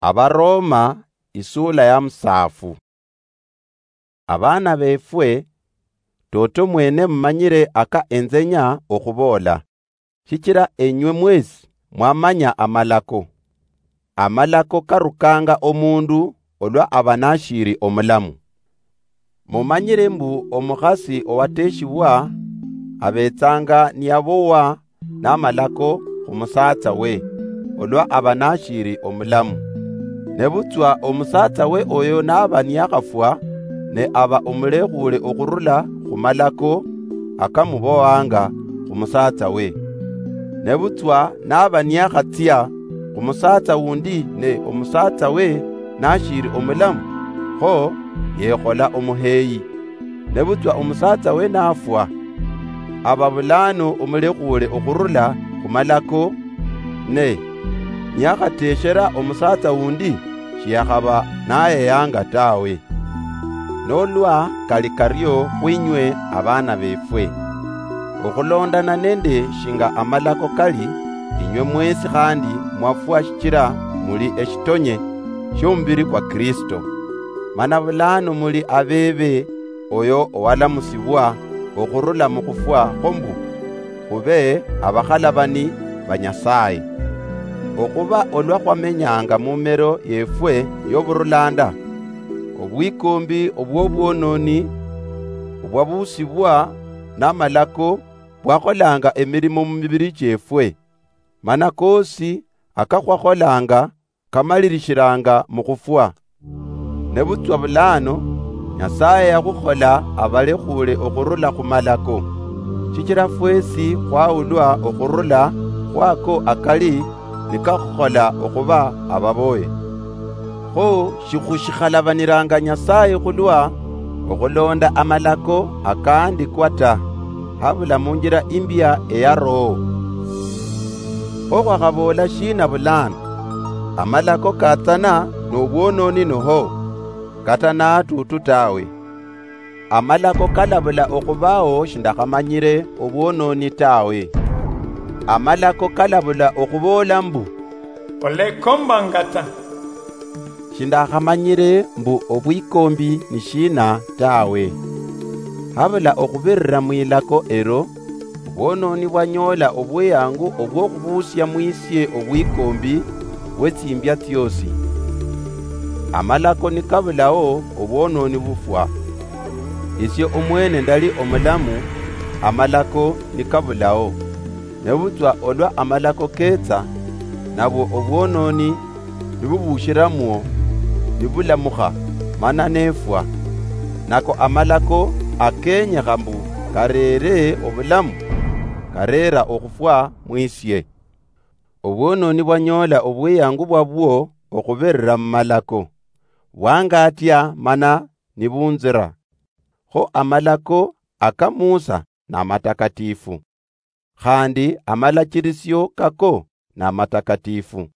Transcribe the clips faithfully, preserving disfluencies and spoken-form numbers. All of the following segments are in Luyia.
Abaroma, isula ya musaafu. Abaana befwe, toto mwene mumanyire aka enzenya okhuboola, shichira enywe mwesi mwamanya amalako. Amalako karukanga omundu olwa aba nashiri omulamu. Mumanyire mbu omukhasi owateshibwa abetsanga niyabowa namalako khumusaatsa we, olwa aba nashiri omulamu. Nebutswa omusaatsa we oyo naba niyakhafwa, ne aba omulekhule okhurula khumalako akamubowanga khumusaatsa we. Nebutswa naba niyakhatsia khumusaatsa wundi ne omusaatsa we nashiri omulamu, kho yekhola omuheyi. Nebutswa omusaatsa we nafwa, aba bulano omulekhule okhurula khumalako, ne niyakhateshera omusaatsa wundi, shiyakhaba nayeyanga tawe. Nolwa kali kario khwinywe abaana befwe, okhulondana nende shinga amalako kali, inywe mwesi khandi mwafwa shichira muli eshitonye shiomubiri kwa Kristo. Mana bulano muli abebe oyo owalamusibwa okhurula mukhufwa kho mbu khube abakhalabani ba Nyasaye. Okhuba olwa khwamenyanga mumero yefwe yoburulanda, obwikombi obwobwononi obwabusibwa namalako bwakholanga emirimo mumibiri chiefwe, mana kosi akakhwakholanga kamalirishiranga mukhufwa. Nebutswa bulano, Nyasaye yakhukhola abalekhule okhurula khumalako, shichira fwesi khwaulwa okhurula khwako akali nikakhukhola okhuba ababoye. Kho shikhushikhalabhaniranga Nyasaye khulwa okhulonda amalako akaandikwa ta, habula munjira imbia eya Roho. Kho khwakhaboola shina bulano? Amalako katsana nobwononi noho? Kata natutu tawe. Amalako kalabula okhubao shindakhamanyire obwononi tawe. Amalako kalabula okhuboola mbu, olekombanga ta. Shindakhamanyire mbu obwikombi ni shina tawe. Habula okhubirira mwilako ero, obwononi bwanyoola obweyangu obwokhubuusia mwisie obwikombi bwetsimbia tsiosi. Amalako nikabulao, obwononi bufwa. Isie omwene ndali omulamu, amalako nikabulao. Nebutswa olwa amalako ketsa, nabwo obwononi nibubushiramwo, nibulamukha, mana nefwa. Nako amalako akenyekha mbu kareere obulamu, kareera okhufwa mwisie. Obwononi bwanyoola obweyangu bwabwo okhubirira mumalako, bwangatia mana nibunzira. Kho amalako aka Musa namatakatifu, khandi amalachirisio kako namatakatifu,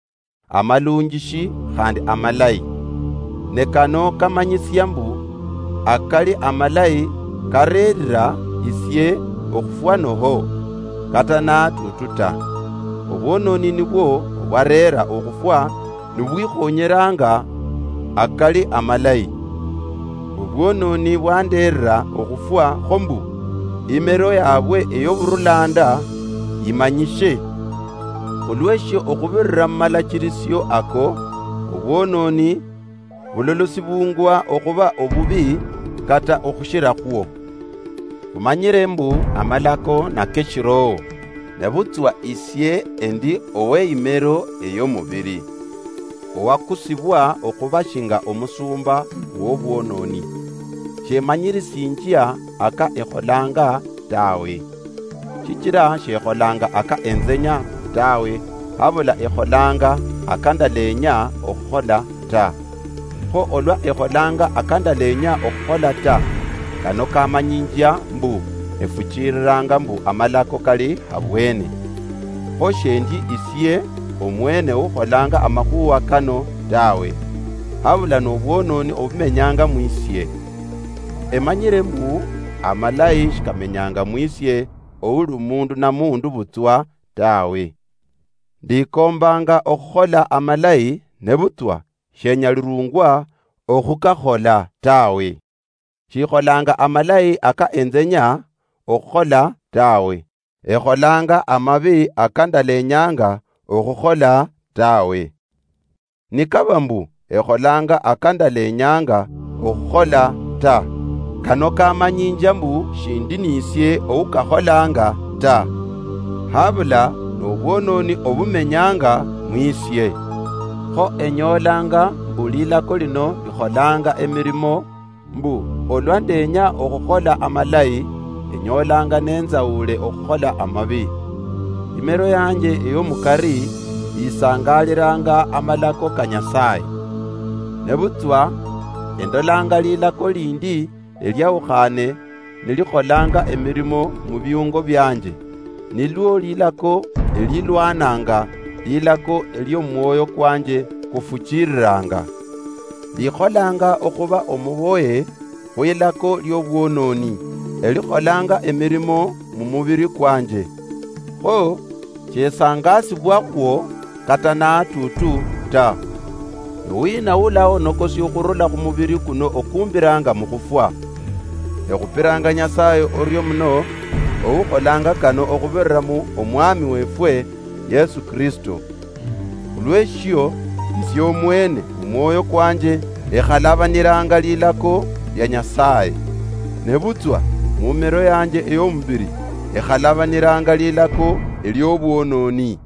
amalunjishi khandi amalayi. Ne kano kamanyisia mbu akali amalayi kareerira isie okhufwa noho? Kata natutu ta. Obwononi nibwo obwareera okhufwa nibwikhonyeranga akali amalayi. Obwononi bwandeerera okhufwa kho mbu imero yabwe eyoburulanda yimanyishe. Khulweshio okhubirira mumalachirisio ako, obwononi bulolosibungwa okhuba obubi kata okhushirakhwo. Khumanyire mbu amalako nakeshiroho, nebutswa isie endi oweyimero eyomubiri, owakusibwa okhuba shinga omusumba wobwononi. Shemanyirisinjia aka ekholanga tawe. Shichira shekholanga aka enzenya tawe, habula ekholanga aka ndalenya okhukhola ta. Kho olwa ekholanga aka ndalenya okhukhola ta, kano kamanyinjia mbu efuchiriranga mbu amalako kali habwene. Kho shendi isie omwene ukholanga amakhuwa kano tawe, habula nobwononi obumenyanga mwisie. Emanyire mbu amalayi shikamenyanga mwisie ouli mundu na mundu butswa tawe. Ndikombanga okhukhola amalayi, nebutswa shenyalirungwa okhukakhola tawe. Shikholanga amalayi aka enzenya okhukhola tawe, ekholanga amabi aka ndalenyanga okhukhola tawe. Nikaba mbu ekholanga aka ndalenyanga okhukhola ta, kano kamanyinja mbu shindi nisie oukakholanga ta, habula nobwononi obumenyanga mwisie. Kho enyolanga mbu lilako lino likholanga emirimo, mbu olwa ndenya okhukhola amalayi, enyolanga nenzaule okhukhola amabi. Imero yanje eyomukari yisangaliranga amalako ka Nyasaye. Nebutswa endolanga lilako lindi eliaukhane nilikholanga emirimo mubiungo bianje, nilwo lilako elilwananga lilako eliomwoyo kwanje kufuchiriranga. Likholanga okhuba omuboye khwilako liobwononi, elikholanga emirimo mumubiri kwanje. Kho shesangasibwakhwo kata natutu ta. Niwina ulaonokosia okhurula khumubiri kuno okumbiranga mukhufwa? Ekhupiranga Nyasaye orio muno, oukholanga kano okhubirira mu Omwami wefwe Yesu Kristo. Khulweshio, isie omwene mumwoyo kwanje ekhalabaniranga lilako lia Nyasaye, nebutswa mumero yanje eyomubiri ekhalabaniranga lilako eliobwononi.